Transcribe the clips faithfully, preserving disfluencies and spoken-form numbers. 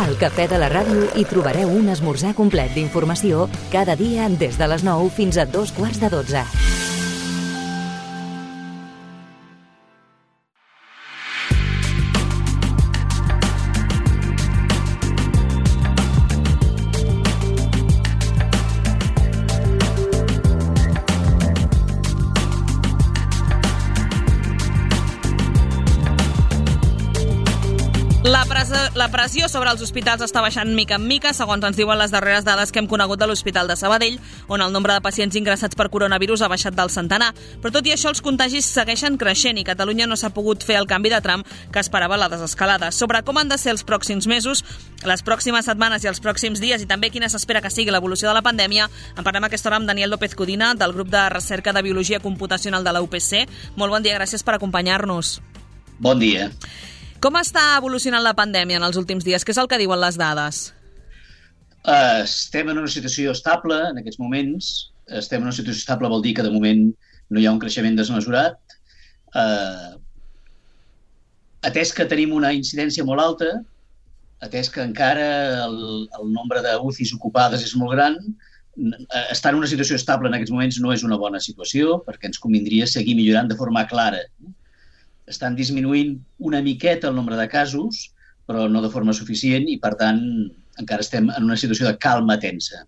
Al Cafè de la Ràdio hi trobareu un esmorzar complet d'informació cada dia des de les nou fins a dos quarts de dotze. La, pres la pressió sobre els hospitals està baixant mica en mica, segons ens diuen les darreres dades que hem conegut de l'Hospital de Sabadell, on el nombre de pacients ingressats per coronavirus ha baixat del centenar. Però tot i això, els contagis segueixen creixent i Catalunya no s'ha pogut fer el canvi de tram que esperava la desescalada. Sobre com han de ser els pròxims mesos, les pròximes setmanes i els pròxims dies, i també quina s'espera que sigui l'evolució de la pandèmia, en parlem a aquesta hora amb Daniel López Codina, del grup de recerca de Biologia Computacional de la U P C. Molt bon dia, gràcies per acompanyar-nos. Bon dia. Com està evolucionant la pandèmia en els últims dies? Què és el que diuen les dades? Uh, estem en una situació estable en aquests moments. Estem en una situació estable vol dir que de moment no hi ha un creixement desmesurat. Uh, atès que tenim una incidència molt alta, atès que encara el, el nombre d'U C Is ocupades és molt gran, estar en una situació estable en aquests moments no és una bona situació, perquè ens convindria seguir millorant de forma clara. Estan disminuint una miqueta el nombre de casos, però no de forma suficient i, per tant, encara estem en una situació de calma tensa.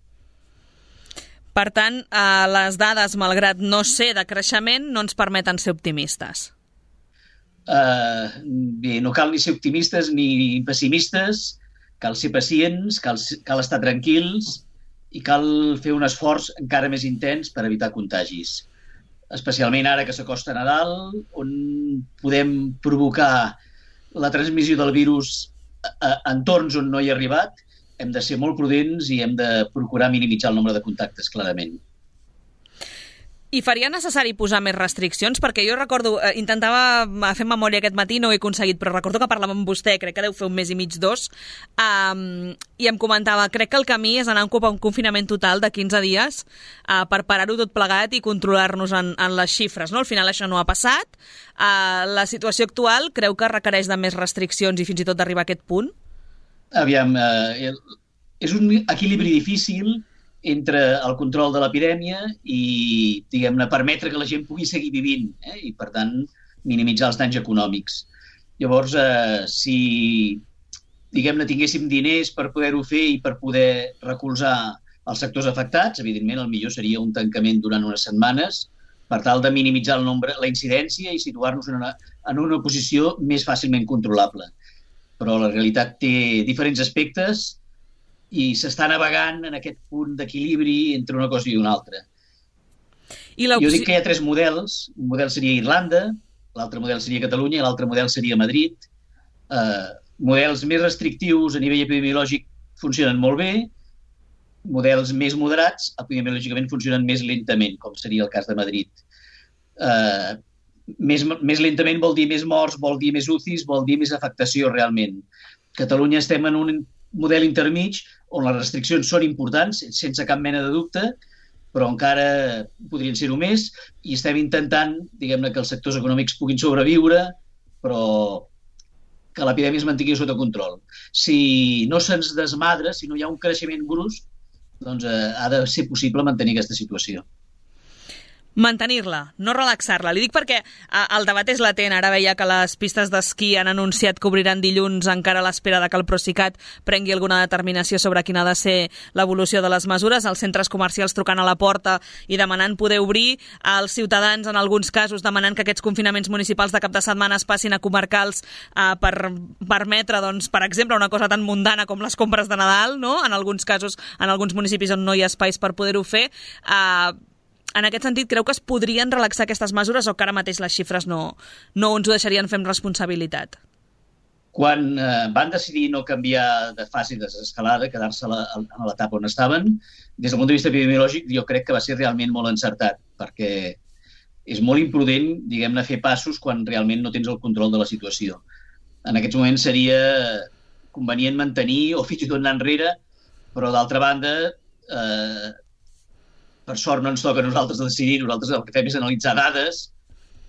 Per tant, eh, les dades, malgrat no ser de creixement, no ens permeten ser optimistes. Uh, bé, no cal ni ser optimistes ni pessimistes, cal ser pacients, cal, cal estar tranquils i cal fer un esforç encara més intens per evitar contagis. Especialment ara que s'acosta Nadal, on podem provocar la transmissió del virus a entorns on no hi ha arribat, hem de ser molt prudents i hem de procurar minimitzar el nombre de contactes, clarament. I faria necessari posar més restriccions? Perquè jo recordo, eh, intentava fer memòria aquest matí, no ho he aconseguit, però recordo que parlàvem amb vostè, crec que deu fer un mes i mig, dos, um, i em comentava, crec que el camí és anar a un confinament total de quinze dies uh, per parar-ho tot plegat i controlar-nos en, en les xifres. No? Al final això no ha passat. Uh, la situació actual creu que requereix de més restriccions i fins i tot d'arribar a aquest punt? Aviam, eh, és un equilibri difícil entre el control de l'epidèmia i, diguem-ne, permetre que la gent pugui seguir vivint, eh? I, per tant, minimitzar els danys econòmics. Llavors, eh, si, diguem-ne, tinguéssim diners per poder-ho fer i per poder recolzar els sectors afectats, evidentment, el millor seria un tancament durant unes setmanes per tal de minimitzar el nombre, la incidència i situar-nos en una, en una posició més fàcilment controlable. Però la realitat té diferents aspectes i s'està navegant en aquest punt d'equilibri entre una cosa i una altra. I jo dic que hi ha tres models. Un model seria Irlanda, l'altre model seria Catalunya i l'altre model seria Madrid. Eh, models més restrictius a nivell epidemiològic funcionen molt bé, models més moderats epidemiològicament funcionen més lentament, com seria el cas de Madrid. Eh, més, més lentament vol dir més morts, vol dir més U C Is, vol dir més afectació realment. Catalunya estem en un model intermig on les restriccions són importants, sense cap mena de dubte, però encara podrien ser-ho més, i estem intentant, diguem-ne, que els sectors econòmics puguin sobreviure, però que l'epidèmia es mantingui sota control. Si no se'ns desmadra, si no hi ha un creixement brusc, doncs eh, ha de ser possible mantenir aquesta situació. Mantenir-la, no relaxar-la. Li dic perquè el debat és latent. Ara veia que les pistes d'esquí han anunciat que obriran dilluns encara a l'espera de que el Procicat prengui alguna determinació sobre quina ha de ser l'evolució de les mesures. Els centres comercials trucant a la porta i demanant poder obrir. Els ciutadans, en alguns casos, demanant que aquests confinaments municipals de cap de setmana es passin a comarcals eh, per permetre, doncs, per exemple, una cosa tan mundana com les compres de Nadal, no? En alguns casos, en alguns municipis on no hi ha espais per poder-ho fer. Eh, En aquest sentit, creu que es podrien relaxar aquestes mesures o que ara mateix les xifres no, no ens ho deixarien fer amb responsabilitat? Quan eh, van decidir no canviar de fase de desescalada, quedar-se a l'etapa on estaven, des del punt de vista epidemiològic jo crec que va ser realment molt encertat, perquè és molt imprudent, diguem-ne, fer passos quan realment no tens el control de la situació. En aquests moments seria convenient mantenir o fins i tot anar enrere, però d'altra banda, eh, per sort no ens toca a nosaltres decidir, nosaltres el que fem és analitzar dades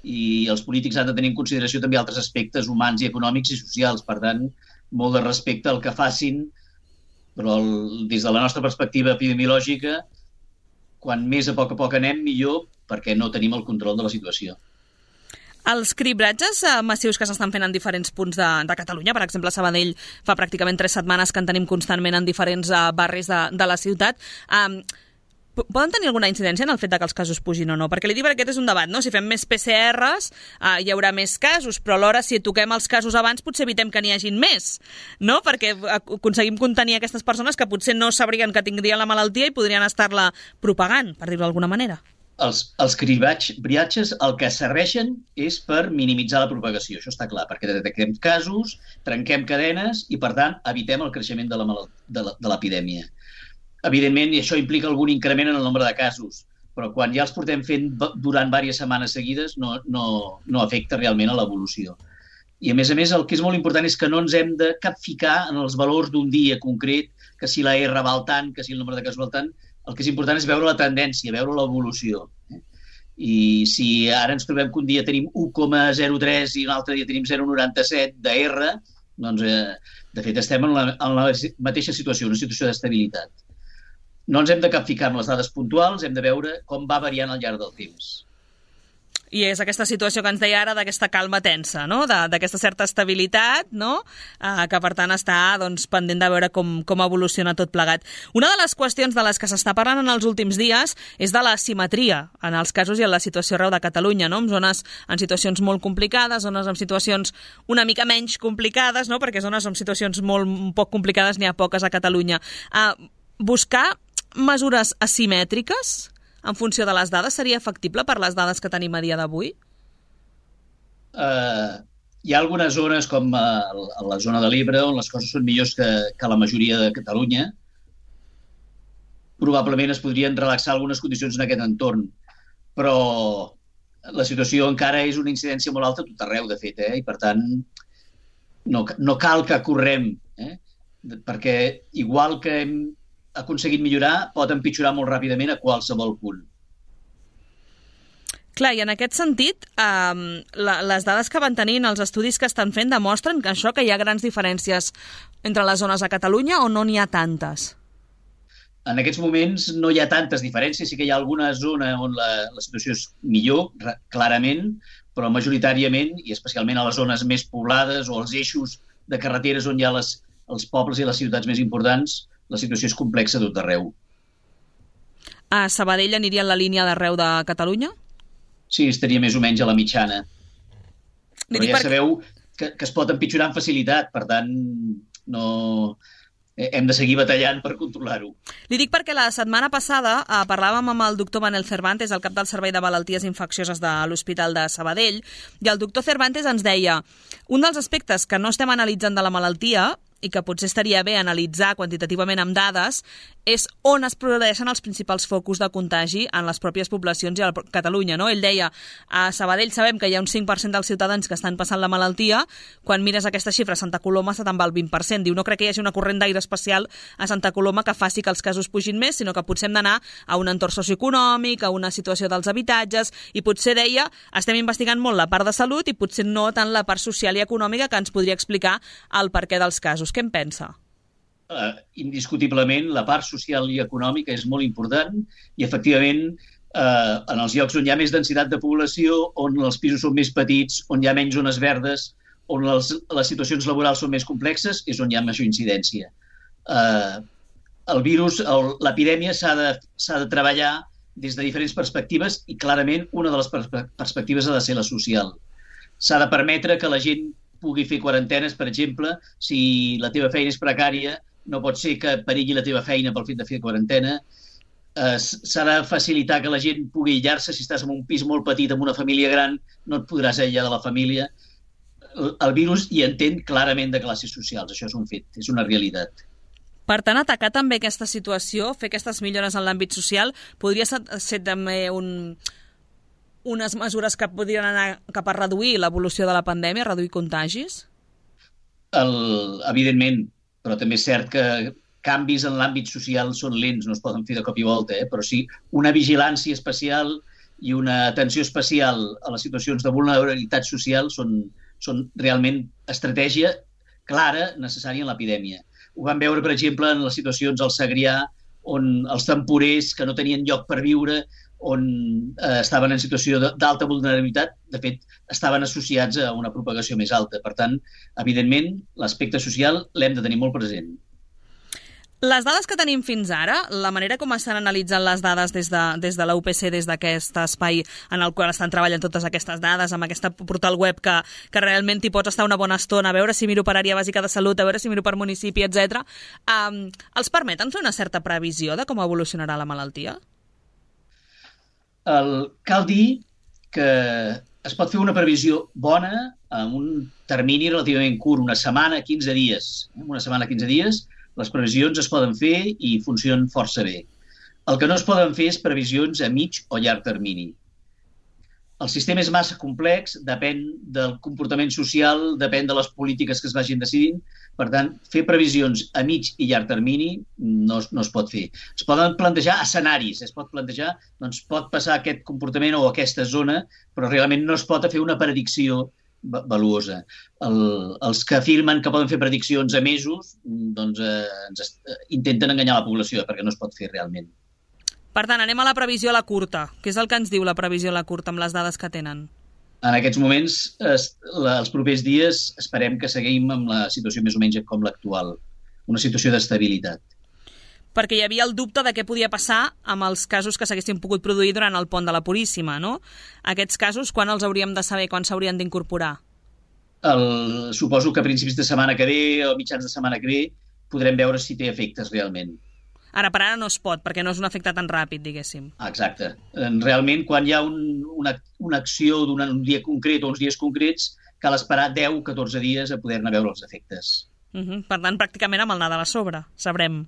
i els polítics han de tenir en consideració també altres aspectes humans i econòmics i socials. Per tant, molt de respecte al que facin, però el, des de la nostra perspectiva epidemiològica, quan més a poc a poc anem, millor, perquè no tenim el control de la situació. Els cribratges massius que s'estan fent en diferents punts de, de Catalunya, per exemple, a Sabadell fa pràcticament tres setmanes que en tenim constantment en diferents uh, barris de, de la ciutat, um, poden tenir alguna incidència en el fet de que els casos pugin o no? Perquè li dic que aquest és un debat, no? Si fem més P C Rs uh, hi haurà més casos, però alhora si toquem els casos abans potser evitem que n'hi hagin més, no? Perquè aconseguim contenir aquestes persones que potser no sabrien que tindrien la malaltia i podrien estar-la propagant, per dir-ho d'alguna manera. Els, els cribratges el que serveixen és per minimitzar la propagació, això està clar, perquè detectem casos, trenquem cadenes i, per tant, evitem el creixement de la malalt... de l'epidèmia. Evidentment, això implica algun increment en el nombre de casos, però quan ja els portem fent durant diverses setmanes seguides no, no, no afecta realment a l'evolució. I, a més a més, el que és molt important és que no ens hem de capficar en els valors d'un dia concret, que si la R val tant, que si el nombre de casos val tant. El que és important és veure la tendència, veure l'evolució. I si ara ens trobem que un dia tenim u coma zero tres i un altre dia tenim zero coma noranta-set de R, doncs, eh, de fet, estem en la, en la mateixa situació, una situació d'estabilitat. No ens hem de capficar en les dades puntuals, hem de veure com va variant al llarg del temps. I és aquesta situació que ens deia ara d'aquesta calma tensa, no? D'aquesta certa estabilitat, no? Uh, que per tant està doncs, pendent de veure com, com evoluciona tot plegat. Una de les qüestions de les que s'està parlant en els últims dies és de la simetria en els casos i en la situació arreu de Catalunya, no? En zones en situacions molt complicades, zones en situacions una mica menys complicades, no? Perquè zones en situacions molt poc complicades n'hi ha poques a Catalunya. Uh, buscar mesures asimètriques en funció de les dades, seria factible per les dades que tenim a dia d'avui? Uh, hi ha algunes zones, com a, a la zona de l'Ebre, on les coses són millors que, que la majoria de Catalunya. Probablement es podrien relaxar algunes condicions en aquest entorn, però la situació encara és una incidència molt alta a tot arreu, de fet, eh? I per tant no, no cal que correm, eh? Perquè igual que hem aconseguit millorar, pot empitjorar molt ràpidament a qualsevol punt. Clar, i en aquest sentit, eh, la, les dades que van tenint, els estudis que estan fent, demostren que això, que hi ha grans diferències entre les zones a Catalunya o no n'hi ha tantes? En aquests moments no hi ha tantes diferències, sí que hi ha alguna zona on la, la situació és millor, clarament, però majoritàriament, i especialment a les zones més poblades o als eixos de carreteres on hi ha les, els pobles i les ciutats més importants, la situació és complexa tot arreu. A Sabadell aniria en la línia d'arreu de Catalunya? Sí, estaria més o menys a la mitjana. Però ja sabeu que, que es pot empitjorar amb facilitat, per tant, no... hem de seguir batallant per controlar-ho. Li dic perquè la setmana passada eh, parlàvem amb el doctor Manel Cervantes, el cap del Servei de Malalties Infeccioses de l'Hospital de Sabadell, i el doctor Cervantes ens deia un dels aspectes que no estem analitzant de la malaltia i que potser estaria bé analitzar quantitativament amb dades, és on es produeixen els principals focus de contagi en les pròpies poblacions i a Catalunya, no? Ell deia, a Sabadell sabem que hi ha un cinc per cent dels ciutadans que estan passant la malaltia, quan mires aquesta xifra a Santa Coloma se te'n va al vint per cent. Diu, no crec que hi hagi una corrent d'aire especial a Santa Coloma que faci que els casos pugin més, sinó que potser hem d'anar a un entorn socioeconòmic, a una situació dels habitatges, i potser deia, estem investigant molt la part de salut i potser no tant la part social i econòmica que ens podria explicar el perquè dels casos. Què en pensa? Uh, indiscutiblement, la part social i econòmica és molt important i, efectivament, uh, en els llocs on hi ha més densitat de població, on els pisos són més petits, on hi ha menys zones verdes, on les, les situacions laborals són més complexes, és on hi ha major incidència. Uh, el virus, l'epidèmia s'ha de, s'ha de treballar des de diferents perspectives i, clarament, una de les perspe- perspectives ha de ser la social. S'ha de permetre que la gent pugui fer quarantenes, per exemple. Si la teva feina és precària, no pot ser que perilli la teva feina pel fet de fer quarantena. Eh, s'ha de facilitar que la gent pugui aïllar-se. Si estàs en un pis molt petit amb una família gran, no et podràs aïllar de la família. El, el virus hi entén clarament de classes socials. Això és un fet, és una realitat. Per tant, atacar també aquesta situació, fer aquestes millores en l'àmbit social, podria ser, ser també un... unes mesures que podrien anar cap a reduir l'evolució de la pandèmia, reduir contagis? El, evidentment, però també és cert que canvis en l'àmbit social són lents, no es poden fer de cop i volta, eh? Però sí una vigilància especial i una atenció especial a les situacions de vulnerabilitat social són, són realment estratègia clara necessària en l'epidèmia. Ho vam veure, per exemple, en les situacions al Segrià, on els temporers que no tenien lloc per viure, on eh, estaven en situació d'alta vulnerabilitat, de fet, estaven associats a una propagació més alta. Per tant, evidentment, l'aspecte social l'hem de tenir molt present. Les dades que tenim fins ara, la manera com estan analitzant les dades des de, des de la U P C, des d'aquest espai en el qual estan treballant totes aquestes dades, amb aquest portal web que, que realment hi pots estar una bona estona, a veure si miro per àrea bàsica de salut, a veure si miro per municipi, etcètera, um, els permeten fer una certa previsió de com evolucionarà la malaltia? El, cal dir que es pot fer una previsió bona en un termini relativament curt, una setmana, quinze dies. Una setmana, quinze dies, les previsions es poden fer i funcionen força bé. El que no es poden fer és previsions a mig o llarg termini. El sistema és massa complex, depèn del comportament social, depèn de les polítiques que es vagin decidint. Per tant, fer previsions a mig i llarg termini no, no es pot fer. Es poden plantejar escenaris, es pot plantejar, doncs pot passar aquest comportament o aquesta zona, però realment no es pot fer una predicció valuosa. El, els que afirmen que poden fer prediccions a mesos, doncs eh, ens intenten enganyar la població, perquè no es pot fer realment. Per tant, anem a la previsió a la curta. Què és el que ens diu la previsió a la curta amb les dades que tenen? En aquests moments, es, la, els propers dies, esperem que seguim amb la situació més o menys com l'actual, una situació d'estabilitat. Perquè hi havia el dubte de què podia passar amb els casos que s'haguessin pogut produir durant el pont de la Puríssima, no? Aquests casos, quan els hauríem de saber, quan s'haurien d'incorporar? El, suposo que a principis de setmana que ve o mitjans de setmana que ve podrem veure si té efectes realment. Ara per ara no es pot, perquè no és un efecte tan ràpid, diguéssim. Exacte. Realment, quan hi ha un, una, una acció d'un dia concret o uns dies concrets, cal esperar deu o catorze dies a poder-ne veure els efectes. Uh-huh. Per tant, pràcticament amb el Nadal a sobre sabrem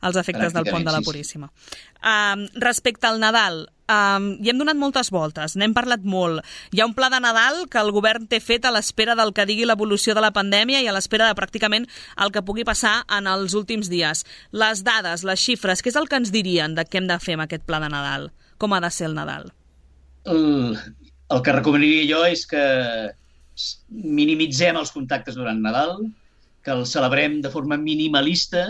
els efectes del pont de la Puríssima. Sí, sí. Um, respecte al Nadal, um, hi hem donat moltes voltes, n'hem parlat molt. Hi ha un pla de Nadal que el govern té fet a l'espera del que digui l'evolució de la pandèmia i a l'espera de pràcticament el que pugui passar en els últims dies. Les dades, les xifres, què és el que ens dirien de què hem de fer amb aquest pla de Nadal? Com ha de ser el Nadal? El, el que recomanaria jo és que minimitzem els contactes durant Nadal, que el celebrem de forma minimalista.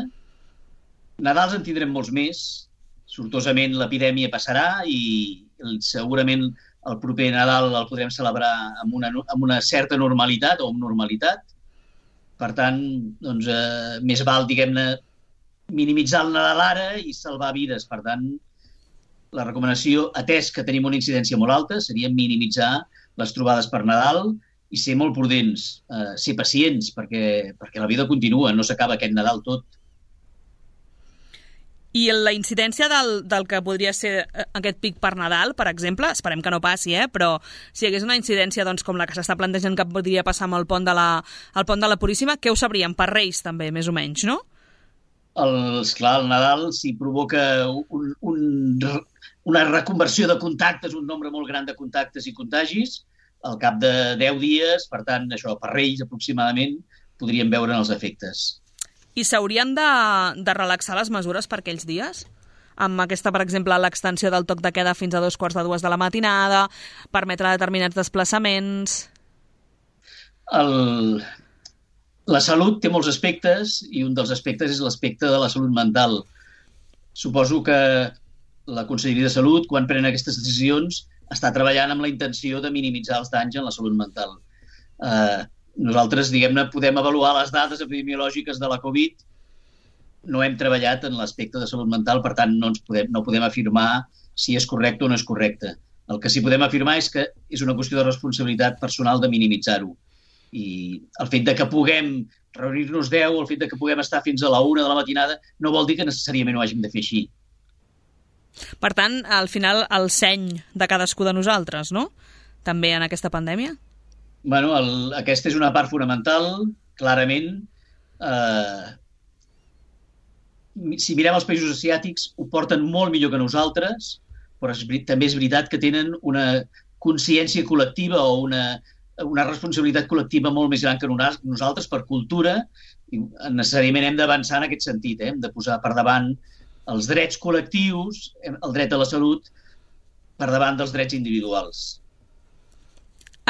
Nadals en tindrem molts més. Sortosament l'epidèmia passarà i segurament el proper Nadal el podrem celebrar amb una, amb una certa normalitat o amb normalitat. Per tant, doncs, eh, més val, diguem-ne, minimitzar el Nadal ara i salvar vides. Per tant, la recomanació, atès que tenim una incidència molt alta, seria minimitzar les trobades per Nadal i ser molt prudents, eh, ser pacients, perquè, perquè la vida continua, no s'acaba aquest Nadal tot. I la incidència del, del que podria ser aquest pic per Nadal, per exemple, esperem que no passi, eh? Però si hi hagués una incidència doncs, com la que s'està plantejant que podria passar amb el pont de la, el pont de la Puríssima, què ho sabríem? Per Reis també, més o menys, no? El, esclar, el Nadal, si provoca un, un, una reconversió de contactes, un nombre molt gran de contactes i contagis, al cap de deu dies, per tant, això, per Reis aproximadament, podríem veure els efectes. I s'haurien de, de relaxar les mesures per aquells dies? Amb aquesta, per exemple, l'extensió del toc de queda fins a dos quarts de dues de la matinada, permetre determinats desplaçaments... El... La salut té molts aspectes i un dels aspectes és l'aspecte de la salut mental. Suposo que la Conselleria de Salut, quan pren aquestes decisions, està treballant amb la intenció de minimitzar els danys en la salut mental. Eh, nosaltres, diguem-ne, podem avaluar les dades epidemiològiques de la Covid. No hem treballat en l'aspecte de salut mental, per tant, no, ens podem, no podem afirmar si és correcte o no és correcte. El que sí podem afirmar és que és una qüestió de responsabilitat personal de minimitzar-ho. I el fet de que puguem reunir-nos deu, el fet de que puguem estar fins a la una de la matinada, no vol dir que necessàriament ho hàgim de fer així. Per tant, al final, el seny de cadascú de nosaltres, no? També en aquesta pandèmia? Bueno, el, aquesta és una part fonamental, clarament. Eh, si mirem els països asiàtics, ho porten molt millor que nosaltres, però és, també és veritat que tenen una consciència col·lectiva o una, una responsabilitat col·lectiva molt més gran que nosaltres per cultura, i necessàriament hem d'avançar en aquest sentit, eh? Hem de posar per davant els drets col·lectius, el dret a la salut, per davant dels drets individuals.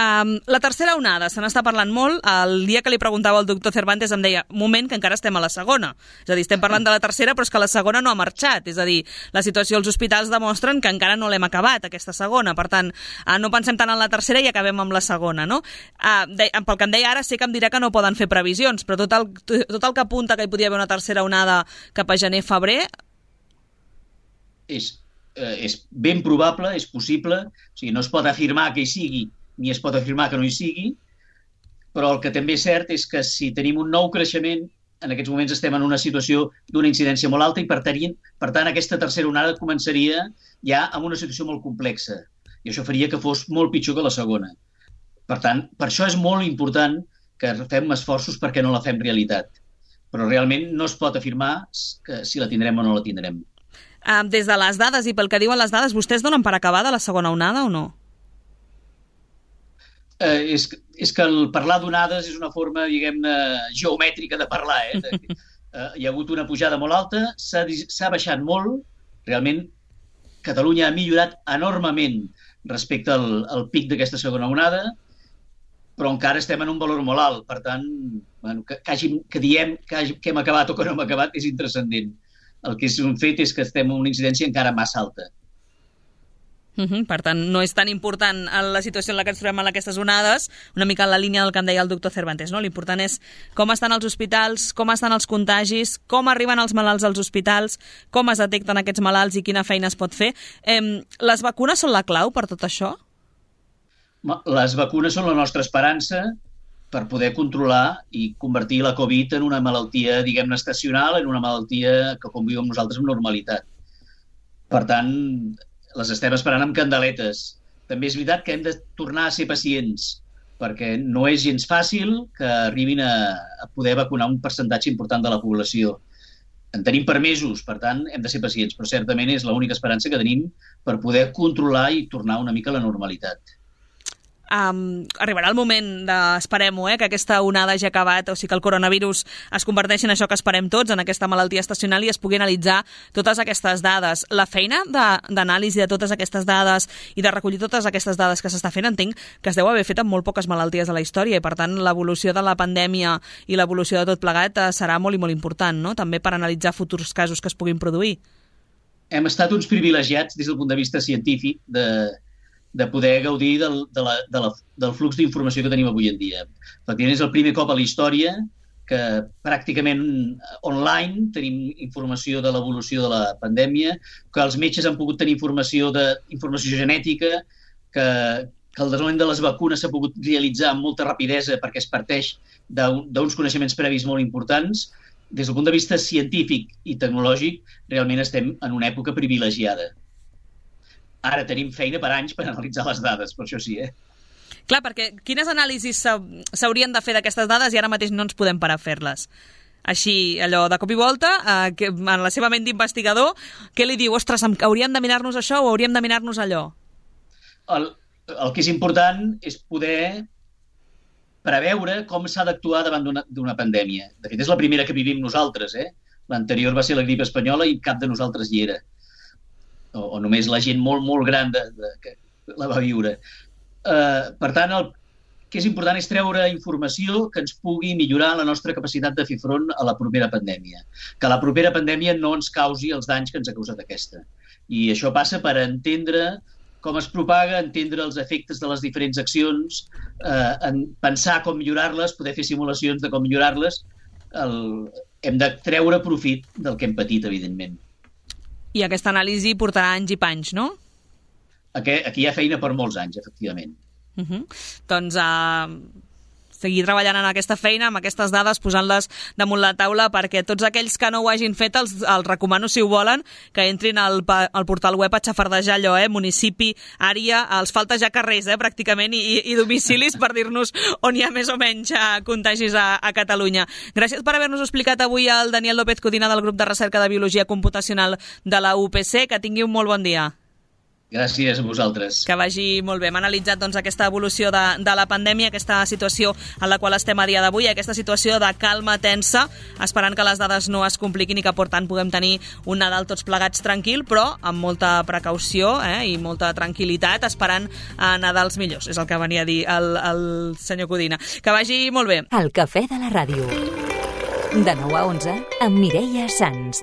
Um, la tercera onada, se n'està parlant molt. El dia que li preguntava al doctor Cervantes em deia, moment que encara estem a la segona. És a dir, estem parlant de la tercera, però és que la segona no ha marxat. És a dir, la situació als hospitals demostren que encara no l'hem acabat, aquesta segona. Per tant, uh, no pensem tant en la tercera i acabem amb la segona, no? Uh, de, pel que em deia ara, sé que em dirà que no poden fer previsions, però tot el, tot el que apunta que hi podia haver una tercera onada cap a gener-febrer... És, eh, és ben probable, és possible, o sigui, no es pot afirmar que hi sigui, ni es pot afirmar que no hi sigui, però el que també és cert és que si tenim un nou creixement, en aquests moments estem en una situació d'una incidència molt alta i per tant, per tant aquesta tercera onada començaria ja amb una situació molt complexa i això faria que fos molt pitjor que la segona. Per tant, per això és molt important que fem esforços perquè no la fem realitat. Però realment no es pot afirmar que si la tindrem o no la tindrem. Uh, des de les dades i pel que diuen les dades, vostès donen per acabada la segona onada o no? Eh, és, és que el parlar d'onades és una forma, diguem-ne, geomètrica de parlar. Eh? De, eh, hi ha hagut una pujada molt alta, s'ha baixat molt, realment Catalunya ha millorat enormement respecte al, al pic d'aquesta segona onada, però encara estem en un valor molt alt. Per tant, bueno, que, que, hàgim, que diem que, hàgim, que hem acabat o que no hem acabat és intranscendent. El que és un fet és que estem en una incidència encara massa alta. Uh-huh. Per tant, no és tan important la situació en la que ens trobem en aquestes onades, una mica en la línia del que em deia el doctor Cervantes, no? L'important és com estan els hospitals, com estan els contagis, com arriben els malalts als hospitals, com es detecten aquests malalts i quina feina es pot fer. Eh, les vacunes són la clau per tot això? Les vacunes són la nostra esperança per poder controlar i convertir la Covid en una malaltia, diguem-ne, estacional, en una malaltia que conviu amb nosaltres amb normalitat. Per tant, les estem esperant amb candeletes. També és veritat que hem de tornar a ser pacients, perquè no és gens fàcil que arribin a, a poder vacunar un percentatge important de la població. En tenim per mesos, per tant, hem de ser pacients, però certament és l'única esperança que tenim per poder controlar i tornar una mica a la normalitat. Um, arribarà el moment de, esperem-ho, eh, que aquesta onada hagi acabat, o sigui que el coronavirus es converteixi en això que esperem tots, en aquesta malaltia estacional, i es pugui analitzar totes aquestes dades. La feina d'anàlisi de, de totes aquestes dades i de recollir totes aquestes dades que s'està fent, entenc que es deu haver fet amb molt poques malalties a la història i per tant l'evolució de la pandèmia i l'evolució de tot plegat serà molt i molt important, no? També per analitzar futurs casos que es puguin produir. Hem estat uns privilegiats des del punt de vista científic de de poder gaudir del, de la, de la, del flux d'informació que tenim avui en dia. Efectivament, és el primer cop a la història que pràcticament online tenim informació de l'evolució de la pandèmia, que els metges han pogut tenir informació de informació genètica, que, que el desenvolupament de les vacunes s'ha pogut realitzar amb molta rapidesa perquè es parteix d'uns coneixements previs molt importants. Des del punt de vista científic i tecnològic, realment estem en una època privilegiada. Ara tenim feina per anys per analitzar les dades, per això sí, eh? Clar, perquè quines anàlisis s'haurien de fer d'aquestes dades i ara mateix no ens podem parar a fer-les? Així, allò, de cop i volta, eh, que, en la seva ment d'investigador, què li diu? Ostres, hauríem de mirar-nos això o hauríem de mirar-nos allò? El, el que és important és poder preveure com s'ha d'actuar davant d'una pandèmia. De fet, és la primera que vivim nosaltres, eh? L'anterior va ser la grip espanyola i cap de nosaltres hi era. O, o només la gent molt, molt gran de, de, que la va viure. Uh, per tant, el que és important és treure informació que ens pugui millorar la nostra capacitat de fer front a la propera pandèmia. Que la propera pandèmia no ens causi els danys que ens ha causat aquesta. I això passa per entendre com es propaga, entendre els efectes de les diferents accions, uh, en pensar com millorar-les, poder fer simulacions de com millorar-les. El... Hem de treure profit del que hem patit, evidentment. I aquesta anàlisi portarà anys i panys, no? Aquí, aquí hi ha feina per molts anys, efectivament. Uh-huh. Doncs uh, seguir treballant en aquesta feina, amb aquestes dades, posant-les damunt la taula, perquè tots aquells que no ho hagin fet els, els recomano, si ho volen, que entrin al, al portal web a xafardejar allò, eh? Municipi, àrea, els falta ja carrers, eh? Pràcticament, i, i domicilis per dir-nos on hi ha més o menys uh, contagis a, a Catalunya. Gràcies per haver-nos explicat avui el Daniel López Codina del grup de recerca de Biologia Computacional de la U P C. Que tingui un molt bon dia. Gràcies a vosaltres. Que vagi molt bé. Hem analitzat doncs, aquesta evolució de, de la pandèmia, aquesta situació en la qual estem a dia d'avui, aquesta situació de calma tensa, esperant que les dades no es compliquin i que, per tant, puguem tenir un Nadal tots plegats tranquil, però amb molta precaució eh, i molta tranquil·litat, esperant a Nadals millors. És el que venia a dir el, el senyor Codina. Que vagi molt bé. El cafè de la ràdio. De nou a onze, amb Mireia Sans.